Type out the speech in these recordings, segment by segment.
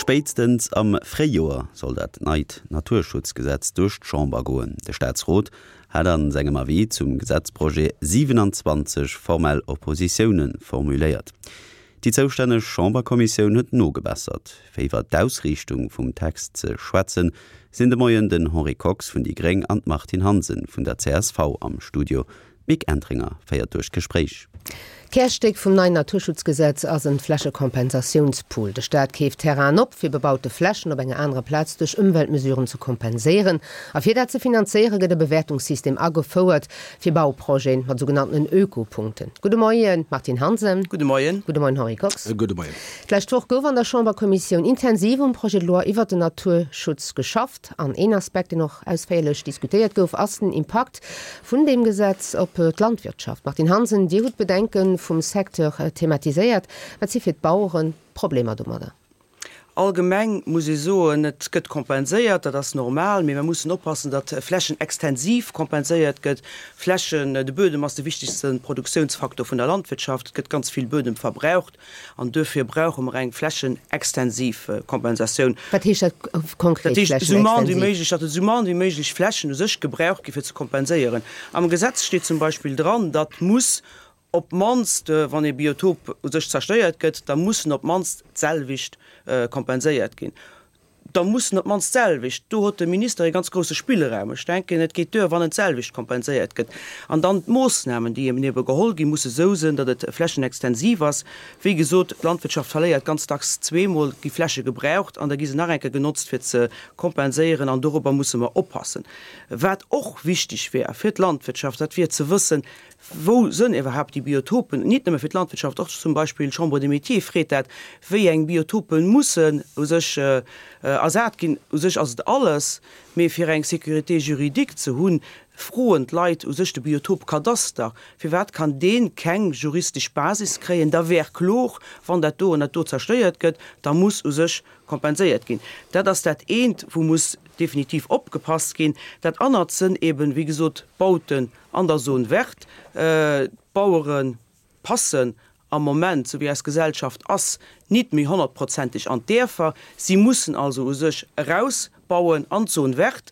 Spéitstens am Fréijoer soll dat neit Naturschutzgesetz duerch d'Chamber goen. De Staatsrot hat a sengem Avis zum Gesetzprojet 27 formell Oppositioune formuléiert. Déi zoustänneg Chamberkommissioun huet nogebessert. Fir iwwer d'Ausriichtung vum Text ze schwätzen, sinn de Moien den Henri Kox vun déi Gréng an d'Martine Hansen vun der csv am Studio. D'Mick Entringer féiert duerch d'Gespréich. D'Kärstéck vum neien Naturschutzgesetz ass en Flächekompensatiounspool. De Staat keeft Terrainen op, fir bebaute Flächen op enger anerer Plaz duerch Ëmweltmesuren ze kompenséieren. A fir dat ze finanzéiere gëtt e Bewäertungssystem agefouert fir Bauprojeten mat sougenanntenen Ökopunkten. Gudde Moien, Martine Hansen. Gudde Moien. Gudde Moien, Henri Kox. Gudde Moien. D'lescht Woch gouf an der Chamberkommissioun intensiv um Projet de loi iwwert den Naturschutz geschafft. An een Aspekt, deen och ausféierlech diskutéiert gouf, ass den Impakt vun deem Gesetz op d'Landwirtschaft. Martine Hansen, Dir hutt d'Bedenke vum Secteur thematiséiert. Wat si fir d'Baueren d'Problemer domadder? Allgemeng muss ee soen, et gëtt kompenséiert, dat ass normal, mee mer mussen oppassen, datt Flächen extensiv kompenséiert gëtt. Flächen, de Buedem ass de wichtegste Produktiounsfaktor vun der Landwirtschaft, et gëtt ganz vill Buedem verbraucht an duerfir brauche mer eng flächenextensiv Kompensatioun. Wat heescht dat konkret, Dat heescht, esou mann wéi méiglech, datt esou mann wéi méiglech Flächen u sech gebraucht gi fir ze kompenséieren. Am Gesetz steet zum Beispill dran, datt muss op d'mannst, wann ee Biotop u sech zerstéiert gëtt, da mussen op d'mannst d'selwecht kompenséiert ginn. Da mussen op d'mannst d'selwecht. Do huet de Minister ee ganz grousse Spillraum. Ech denken, et geet duer, wann et d'selwecht kompenséiert gëtt. An dann d'Moossnamen, déi eben ebe geholl ginn, musse sou sënn, datt et flächenextensiv ass. Wéi gesot, d'Landwirtschaft verléiert ganz dacks zweemol, gi Fläche gebraucht an da gi se nach eng Kéier genotzt, fir ze kompenséieren. An dorobber musse mer oppassen. Wat och wichteg wär fir d'Landwirtschaft, dat wier ze wëssen, Wou sënn iwwerhaapt déi Biotopen? Nit nëmme fir d'Landwirtschaft, och zum Beispill d'Chambre des Métiers freet dat, wéi eng Biotope mussen u sech ersat ginn. U sech ass et alles, mee fir eng Sécurité juridique ze hunn, froen d'Leit u sech de Biotopkadaster. Firwat kann dee keng juristesch Basis kréien? Da wär klor, wann dat do an dat do zerstéiert gëtt, da muss u sech kompenséiert ginn. Dat ass dat eent, wou muss definitiv opgepasst ginn. Dat anert sënn eben, wéi gesot, d'Bauten An der Zone verte, d'Bauere passen am Moment, sou wéi eis Gesellschaft ass, nit méi honnertprozenteg an d'Däerfer. Si mussen also u sech erausbauen an d'Zone verte.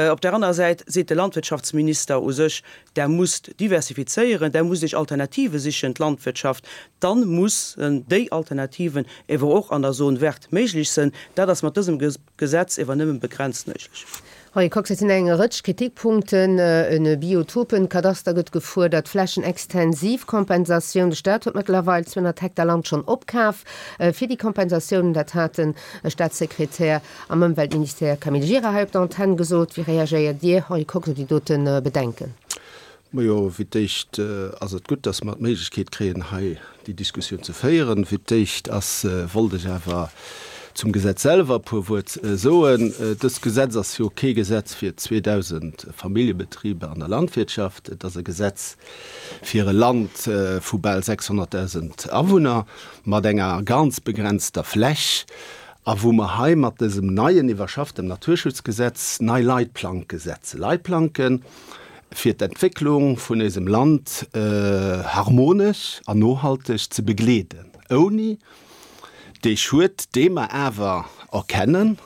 Op där anerer Säit seet de Landwirtschaftsminister u sech, Der musst diversifizéieren, Der musst Iech Alternative sichen, d'Landwirtschaft. Dann mussen déi Alternativen ewer och an der Zone verte méiglech sënn. Dat ass mat dësem Gesetz ewer nëmmen begrenzt méiglech. Henri Kox, Et sinn eng Rëtsch Kritikpunkten. E Biotopenkadaster gëtt gefuerdert, Flächenextensivkompensatioun. De Staat huet mëttlerweil 200 Hektar Land schonn opkaf fir déi Kompensatiounen. Dat hat de Staatssekretär am Ëmweltministère Camille Gira hei op der Antenn gesot. Wéi reagéiert Dir, Henri Kox, op déi dote Bedenken? Majo, fir d'éischt ass et gutt, dass mer d'Méiglechkeet kréien, hei déi Diskussioun ze féieren. Fir d'éischt ass, wollt ech awer zum Gesetz selwer e puer Wuert soen. Dëst Gesetz ass jo kee Gesetz fir 2.000 Familljebetriber an der Landwirtschaft. Et ass e Gesetz fir e Land vu bal 600.000 Awunner mat enger ganz begrenzter Fläch a wou mer hei mat dësem neien, iwwerschafftem Naturschutzgesetz nei Leitplanke setzen. Leitplanken, fir d'Entwécklung vun éisem Land harmonesch an nohalteg ze begleeden, ouni dee Schued, dee mer awer erkennen,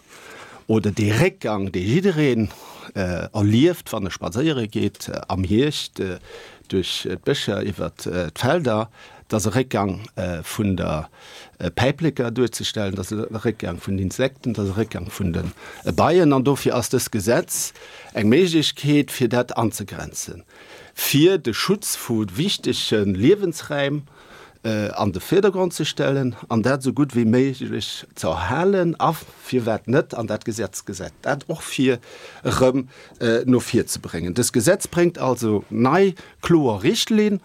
oder dee Réckgang, dee jiddereen erlieft, wann e spadséiere geet am Hierscht duerch d'Bëscher, iwwert d'Felder, dass e Réckgang vun der Päipleker duerzestellen, dass e Réckgang vun den Insekten, dass e Réckgang vun de Beien. An dofir ass dëst Gesetz eng Méiglechkeet, fir dat anzegrenzen, fir de Schutz vu wichtege Liewensräim an de Virdergrond ze stellen an dat esou gutt wéi méiglech ze erhalen a firwat net, an dat Gesetz gesäit dat och vir, erëm no vir ze bréngen. Dëst Gesetz bréngt also nei kloer Richtlinn.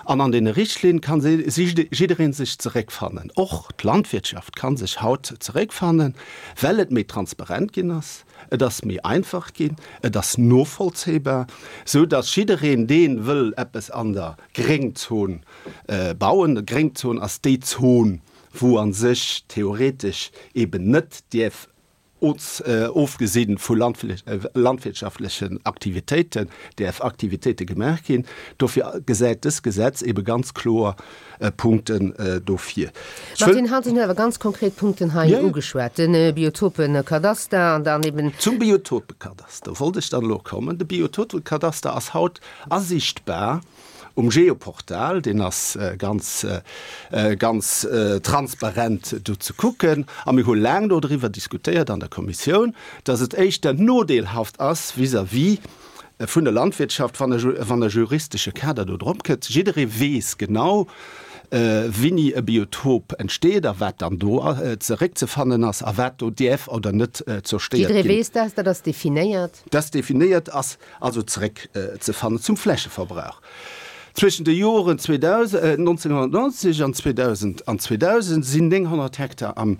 An an deene Richtlinne ka jidderee sech zeréckfannen. Och d'Landwirtschaft ka sech haut zeréckfannen, well et méi transparent ginn ass, et ass méi einfach ginn, et ass novollzéibar, sou datt jiddereen, dee wëll eppes an der Gréngzon bauen, d'Gréngzon ass déi Zon, wou a sech theoretesch eben net dierf. Ofgesi vu landwirtschaftlechen Aktivitéiten, däerf Aktivitéite gemaach ginn. Dofir gesäit dës Gesetz ebe ganz kloer Punkten do vir. D'Martine Hansen huet awer ganz konkret Punkten hei ugeschwat, de Biotopekadaster an dann eben. Zum Biotopekadaster wollt ech dann elo kommen. De Biotopekadaster ass haut asiichtbar. Um Geoportal, deen ass ganz, ganz transparent do ze kucken. A mir hu laang do driwwer diskutéiert an der Kommissioun, dass et éischter nodeelhaft ass vis-à-vis vun der Landwirtschaft, wann e, wann e juristesche Kader do drop kënnt. Jidderee weess genau, wéini e Biotop entsteet a wat dann do zeréckzefannen ass a wat do däerf oder net zerstéiert ginn. Jidderee weess dat, dat ass definéiert. Dat ass definéiert ass. Also zeréck ze fannen zum Flächeverbrauch. Zwëschen de Joren 1990 an 2000 an 2000 sinn 900 Hektar am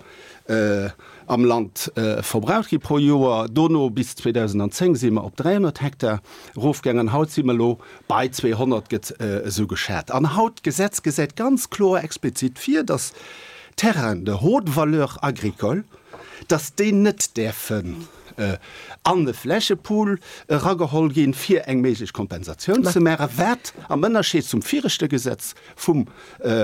am Land verbraucht gi pro Joer. Dono bis 2010 si mer op 300 Hektar erofgaangen an haut si mer elo bei 200, gëtt esou geschat. An haut, d'Gesetz gesäit ganz kloer explizit vir, datt Terrainen de haute valeur agricole, datt déi net däerfen an e Flächepool erageholl ginn, fir eng méiglech Kompensatioun ze maachen, wat am Ënnerscheed zum viregte Gesetz vum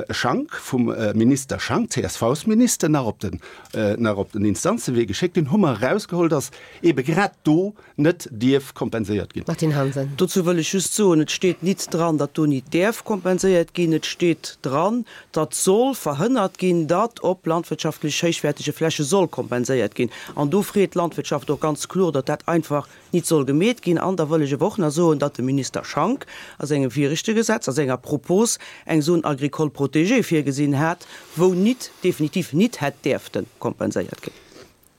Schank, vum Minister Schank, CSV-Minister, nach op den, nach op den Instanzewee geschéckt hunn, hu mer erausgeholl, dass eebe grad do net dierf kompenséiert ginn. Martine Hansen. Dozou wëll ech just soen, Et steet nit dran, datt do nit däerf kompenséiert ginn. Et steet dran, datt soll verhënnert ginn, datt op landwirtschaftlech héichwäertege Fläche soll kompenséiert ginn. An do freet d'Landwirtschaft och ganz kloer, datt dat einfach nit soll gemeet ginn. An da wëll ech awer och nach soen, datt de Minister Schank a sengem viregte Gesetz, a senger Propos eng Zone agricole protégée virgesinn hat, wou nit, definitiv nit hätt däerfte kompenséiert ginn.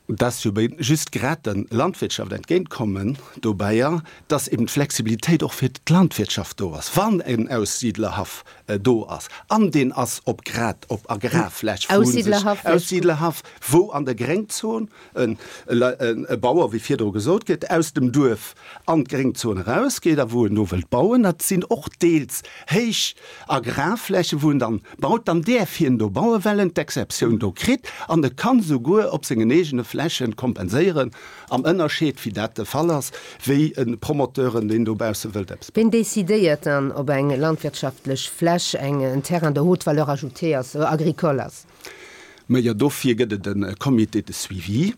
Dass jo just grad der Landwirtschaft entgéintkommen dobäier, dass eben d'Flexibilitéit och fir d'Landwirtschaft do ass, wann en Aussiedlerhaff do ass, an deen ass op grad op Agrarfläch vu sech, Aussiedlerhaff, wou an der Gréngzon e Bauer, wéi virdru gesot gëtt, aus dem Duerf an d'Gréngzon erausgeet a wou en do wëllt bauen. Dat sinn och deels héich Agrarflächen, wou en dann baut, dann däerf hien do bauen, well en d'Exceptioun do kritt an e kann souguer op sengen eegene Flächen kompenséieren, am Ënnerscheed, wéi dat de Fall ass, wéi e Promoteuren, deen dobausse wëllt eppes bauen. Ween decidéiert dann, ob eng landwirtschaftlech Fläch eng en Terrain de haute valeur ajoutée ass, agricole ass? Majo, dofir gëtt et e Comité de suivi,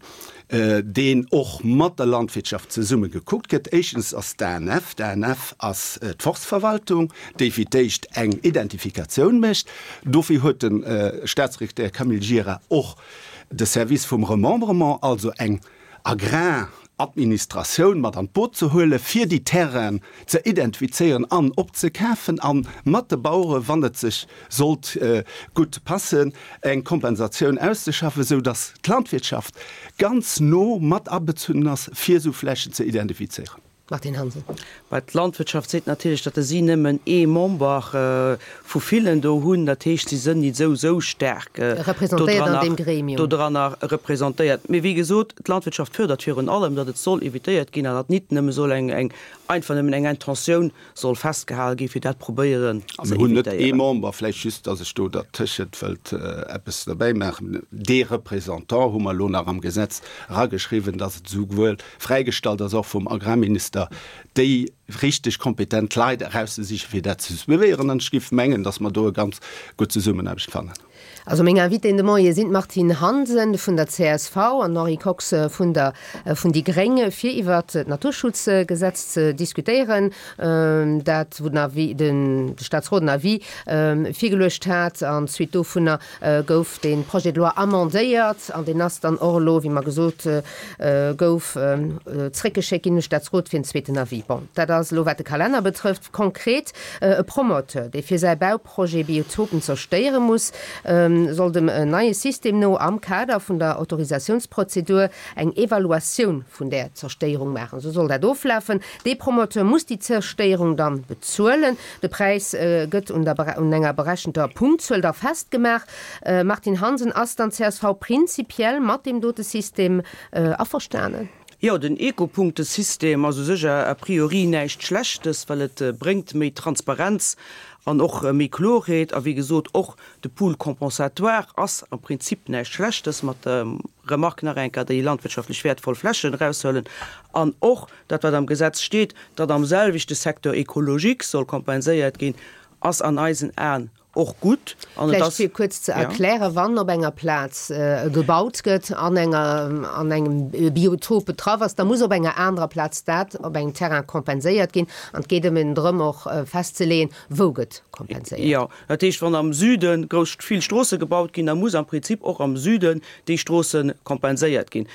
deen och mat der Landwirtschaft zesumme gekuckt gëtt. Éischtens ass d'ANF, d'ANF ass d'Forstverwaltung, déi fir d'éischt eng Identifikatioun mécht. Dofir huet de Staatssekretär Camille Gira och de Service vum Remembrement, also eng Agraradministratioun mat an d'Boot ze huelen, fir déi Terrainen ze identifizéieren an opzekafen a mat de Bauere, wann et sech sollt gutt passen, eng Kompensatioun auszeschaffen, esou datt d'Landwirtschaft ganz no mat abezunnen ass, fir esou Flächen ze identifizéieren. Martine Hansen. Well d'Landwirtschaft seet natierlech, datt si nëmmen ee Member vu villen do hunn. Dat heescht, si sënn nit esou esou staark dodranner representéiert. Mee wéi gesot, d'Landwirtschaft fuerdert virun allem, datt et soll evitéiert ginn an datt nit nëmme soll eng einfach nëmmen eng Intentioun soll festgehale ginn, fir dat probéieren ze evitéieren. Mir hunn net ee Member, vläicht just, datt ech do dertëschent wëllt eppes derbäi maachen, dee Représentant hu mer elo nach am Gesetz erageschriwwen, datt et esouwuel fräigestallt ass, och vum Agrarminister, déi richteg kompetent Leit erauszesichen, fir dat ze suivéieren. An ech géif mengen, datt mer do e ganz gutt Zesummenaarbecht fannen. Also meng Invitéen de Moie sinn d'Martine Hansen vun der csv an den Henri Kox vun der vun déi gréng, fir iwwert d'Naturschutzgesetz ze diskutéieren, dat wou den Avis, den de Staatsrot en Avis virgeluecht hat an d'Suite dovunner gouf dee Projet de loi amendéiert an deen ass dann och elo, wéi mer gesot gouf, zréckgeschéckt ginn un de Staatsrot fir en zweeten Avis. Bon, dat ass elo wat de Kalenner betrëfft. Konkret, e Promoteur, dee fir säi Bau Projet Biotopen zerstéiere muss, soll dem neie System no am Kader vun der Autorisatiounsprozedur eng Evaluatioun vun där Zerstéierung maachen. Esou soll dat oflafen, Dee Promoteur muss déi Zerstéierung dann bezuelen. De Präis gëtt un der un enger berechenter Punktzuel da festgemaach. Martine Hansen, Ass dann csv prinzipiell mat deem dote System averstanen? Jo, den Ecopunktesystem ass u sech a priori näischt Schlechtes, well et bréngt méi Transparenz an och méi Klorheet. A wéi gesot, och de Pool compensatoire ass am Prinzip näischt Schlechtes, mat der Remarque nach eng Kéier, déi landwirtschaftlech wäertvoll Flächen eraushuelen an och dat, wat am Gesetz steet, datt am selwechte Secteur écologique soll kompenséiert ginn, ass an eisen Aen och gutt. An et Vläicht ass, fir kuerz ze ja. erklären, Wann op enger Plaz gebaut gëtt, an enger, an engem Biotop betraff ass, da muss op enger anerer Plaz dat op engem Terrain kompenséiert ginn. An et geet ëmmen drëm och festzeleeën, wou gëtt kompenséiert. Jo, dat heescht, wann am Süde grouss, vill Stroosse gebaut ginn, da muss am Prinzip och am Süden déi Stroosse kompenséiert ginn.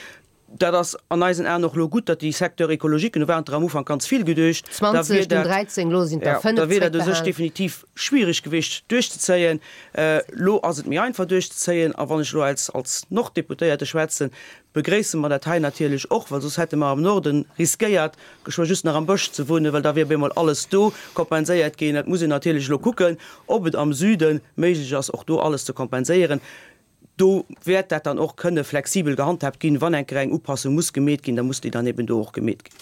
Dat ass an eisen Aen och elo gutt, datt déi Secteurs écologiques, do waren der am Ufank ganz vill geduecht, da 20, wier dunn dat, 13, elo sinn der jo, 5 da wier dat u sech zréckbehalen. definitiv schwierig gewiescht duerchzezéien. Elo ass et méi einfach duerchzezéien. A wann ech elo als, als Norddeputéierte schwätzen, begréisse mer dat hei natierlech och, well soss hätte mer am Norden riskéiert, geschwë just nach am Bësch ze wunnen, well da wier op eemol alles do kompenséiert ginn. Et muss een natierlech elo kucken, ob et am Süde méiglech ass, och do alles ze kompenséieren. Do wäert dat dann och kënne flexibel gehandhaabt ginn. Wann eng Kéier eng Upassung muss gemeet ginn, da muss déi dann eben do och gemeet ginn.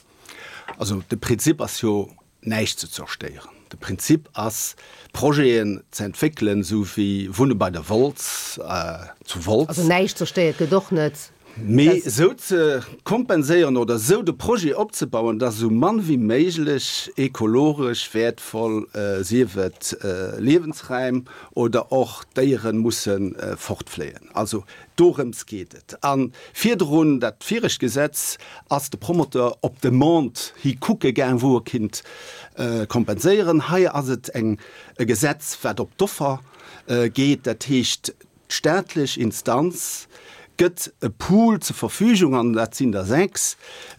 Also de Prinzip ass jo, näischt ze zerstéieren. De Prinzip ass, Projeten ze entwéckelen, esou wéi Wunne bei der Wolz zu Wolz. Also näischt zerstéiert gëtt och net. Mee esou ze kompenséieren oder esou de Projet opzebauen, dass esou mann wéi méiglech ekologesch wäertvoll, sief et Liewensräim oder och Déieren, musse fortfléien. Also dorëms geet et. A virdrun, dat viregt Gesetz, ass de Promoteur op Demande hi kucke gaang, wou e kinnt kompenséieren. Hei ass et eng e Gesetz, wat op d'Offer geet. Dat heescht, D'staatlech Instanz gëtt e Pool zur Verfügung, an dat sinn der 6,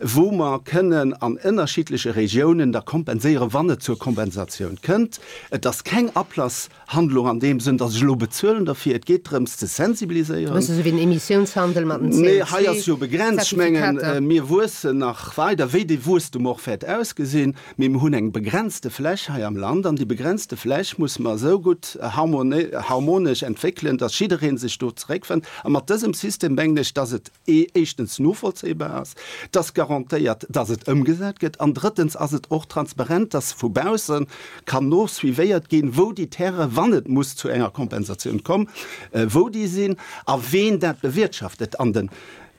wou mer kënnen an ënnerschiddleche Regiounen da kompenséieren, wann et zur Kompensatioun kënnt. Et ass keng Ablasshandlung an deem Sënn, datt ech elo bezuelen derfir. Et geet drëms ze sensibiliséieren. E bësse sou wéi den Emissiounshandel mat den Nee, hei ass jo begrenzt. Ech mengen, mir wuessen nach weider, wéi dee Wuesstum och wäert ausgesinn. Mee mir hunn eng begrenzte Fläch hei am Land, an déi begrenzte Fläch musse mer esou gutt harmonesch entwéckelen, dass jidderee sech do zeréckfënnt. A mat dësem System mengen ech, dass et éischtens novollzéibar ass, dass garantéiert, dass et ëmgesat gëtt, an drëttens ass et och transparent, dass vu bausse kann no suivéiert ginn, wou déi Terrainen, wann et muss zu enger Kompensatioun kommen, wou déi sinn a ween dat bewirtschaftet. An den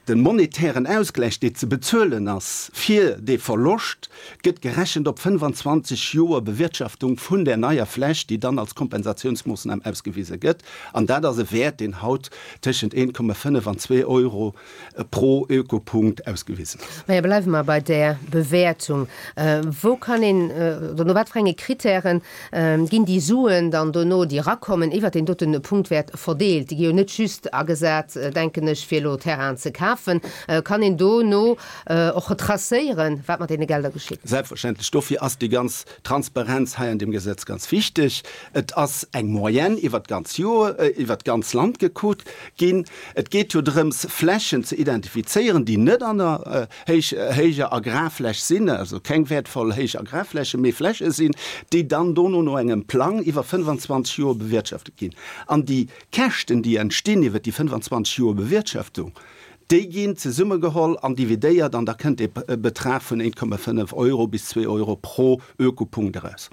De monetären Ausgläich, dee ze bezuelen ass fir dee Verloscht, gëtt gerechent op 25 Joer Bewirtschaftung vun där neier Fläch, déi dann als Kompensatiounsmoossnam ausgewise gëtt. An dat ass e Wäert, deen haut tëschent 1,5 an 2 Euro pro Ökopunkt ausgewisen ass. Maja, bleiwe mer bei där Bewäertung. Wou kann een, oder no wat fir enge Kritären Ginn déi Suen dann dono, déi erakommen, iwwert deen dote Punktwäert verdeelt? Déi gi jo net just agesat, denken ech, fir elo Terrainen ze kafen. Kann een dono och retracéieren, wat mat deene Gelder geschitt? Selbstverständlech. Dofir ass déi ganz Transparenz hei an deem Gesetz ganz wichteg. Et ass eng Moyenne iwwert d'ganz Joer, iwwert d'ganz Land gekuckt ginn. Et geet jo drëms, Flächen ze identifizéieren, déi net an der héich, héijer Agrarfläch sinn, also keng wäertvoll héich Agrarflächen, mee Fläche sinn, déi dann dono no engem Plang iwwer 25 Joer bewirtschaftet ginn. An déi Käschten, déi entstinn iwwer déi 25 Joer Bewirtschaftung, déi ginn zesummegeholl an dividéiert an da kënnt ee Betrag vun 1,5 Euro bis 2 Euro pro Ökopunkt eraus.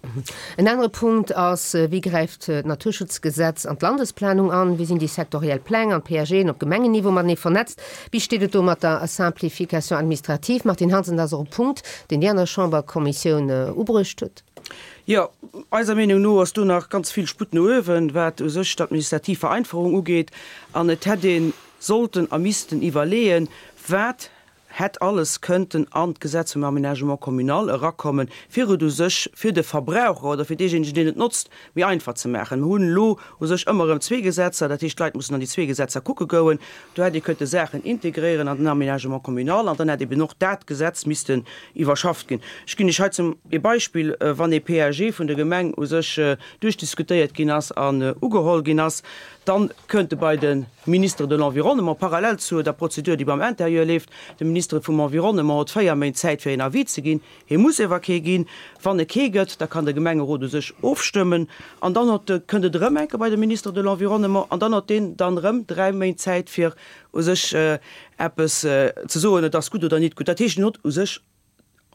En anere Punkt ass, Wéi gräift d'Naturschutzgesetz an d'Landesplanung an? Wéi sinn déi sektoriell Pläng an d'PAGen op Gemengenniveau matenee vernetzt? Wéi steet et do mat der Simplification administrative? Martine Hansen, dat ass och e Punkt, deen Dir an der Chamberkommissioun ubruecht hutt. Jo, eiser Meenung no ass do nach ganz vill Sputt no uewen, wat u sech d'administrativ Vereinfachung ugeet. An et hätt ee sollten a missten iwwerleeën, wat hätt alles kënnten an d'Gesetz vum Aménagement communal erakommen, fir et u sech fir de Verbraucher oder fir deejéinegen, deen et notzt, méi einfach ze maachen. Mir hunn elo u sech ëmmer erëm zwee Gesetzer, dat heescht, d'Leit mussen an déi zwee Gesetzer kucke goen. Do hätt ee kënnte Saachen integréieren an den Aménagement communal an dann hätt eben och dat Gesetz missten iwwerschafft ginn. Ech ginn Iech hei zum ee Beispill, Wann ee PAG vun der Gemeng u sech duerchdiskutéiert ginn ass an ugeholl ginn ass, Dann kënnt e bei de Ministre de l'Environnement, parallel zu der Prozedur, déi beim Intérieur leeft. De Ministre vum Environnement huet 4 Méint Zäit, fir een Avis ze ginn. Hie muss ewer kee ginn. Wann e kee gëtt, da kann de Gemengerot u sech ofstëmmen. An dann huet de, kënnt et erëm eng Kéier bei de Ministre de l'Environnement an dann huet deen dann erëm 3 Méint Zäit, fir u sech eppes ze soen, et ass gutt oder nit gutt. Dat heescht, en huet u sech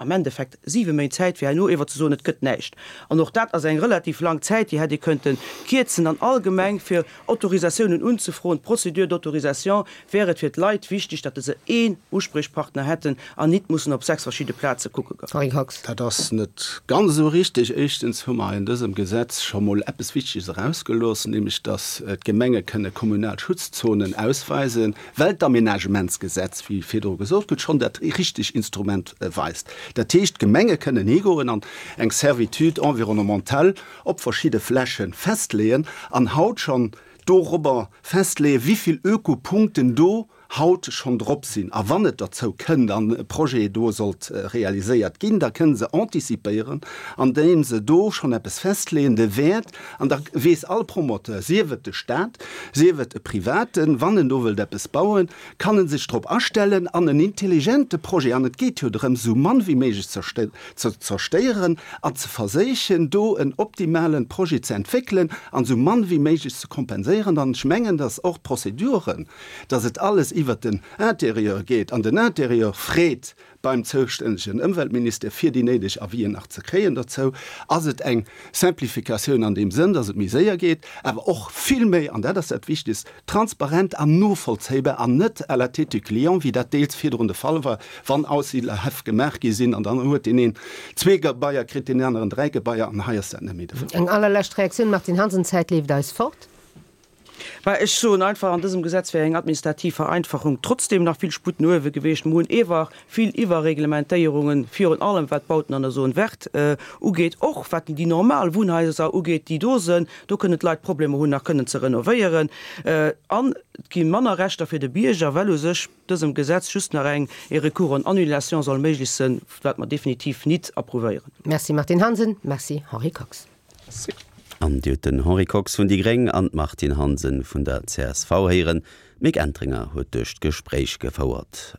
am Endeffekt 7 Méint Zäit, fir herno ewer ze soen, et gëtt näischt. An och dat ass eng relativ laang Zäit, déi hätt ee könnte kierzen. An allgemeng fir Autorisatiounen unzefroen, d'Procédure d'autorisation, wär et fir d'Leit wichteg, datt se een Uspriechpartner hätten an nit mussen op 6 verschidde Plaze kucke goen. Henri Kox. Dat ass net ganz esou richtig. Éischtens hu mer in dësem Gesetz scho mol eppes Wichteges erausgelooss, nämlech datt d'Gemenge kënne kommunal Schutzzonen ausweisen. well d'Aménagementsgesetz, wéi virdru gesot gëtt, schonn dat richteg Instrument weist. Dat heescht, d'Gemenge kënnen higoen an eng Servitude environnementale op verschidde Fläche festleeën an haut schonn dorobber festleeën, wéi vill Ökopunkten do haut schonn drop sinn. A wann et derzou kënnt an e Projet do sollt realiséiert ginn, da kënne se anticipéieren, andeem se do schonn eppes festleeën, de Wäert, An da weess all Promoteur, sief et de Staat, sief et e Privaten, wann en do wëllt eppes bauen, kann e sech drop astellen an en intelligente Projet, an et geet jo drëm, esou mann wéi méiglech ze zerstéieren an ze verséichen, do en optimale Projet ze entwéckelen an esou mann wéi méiglech ze kompenséieren. An ech mengen, dass och d'Prozeduren, dass et alles iwwert den Intérieur geet an den Intérieur freet, beim zoustännegen Ëmweltministère, fir déi néideg Avisen nach ze kréien. Dozou ass et eng Simplificatioun an deem Sënn, dass et méi séier geet, awer och vill méi, an dat ass dat Wichtegst, transparent an novollzéibar an net à la tête du client, wéi dat deels virdrun de Fall war, wann Aussiedlerhäff gemaach gi sinn an dann huet deen een zwee Gebaier kritt, deen aneren dräi Gebaier, an hei ass dat net méi de Fall. Eng allerlescht Reaktioun, Martine Hansen, d'Zäit leeft eis fort. Mä ech soen einfach, an dësem Gesetz wär eng administrativ Vereinfachung trotzdem nach vill Sputt no uewe gewiescht. Mer hunn ewer vill Iwwerreglementéierungen, virun allem wat d'Bauten an der Zone verte ugeet, och wat déi normal Wunnhaiser ugeet, déi do sënn. Do kënnen d'Leit Problemer hunn, nach kënnen ze renovéieren. An et gi manner Rechter fir de Bierger, well u sech dësem Gesetz just nach eng e Recours en annulation soll méiglech sënn, wat mer definitiv nit approuvéieren. Merci Martine Hansen, merci Henri Kox. An Dir hutt den Henri Kox vun déi gréng an d'Martine Hansen vun der csv héieren. D'Mick Entringer huet duerch d'Gespréich gefouert.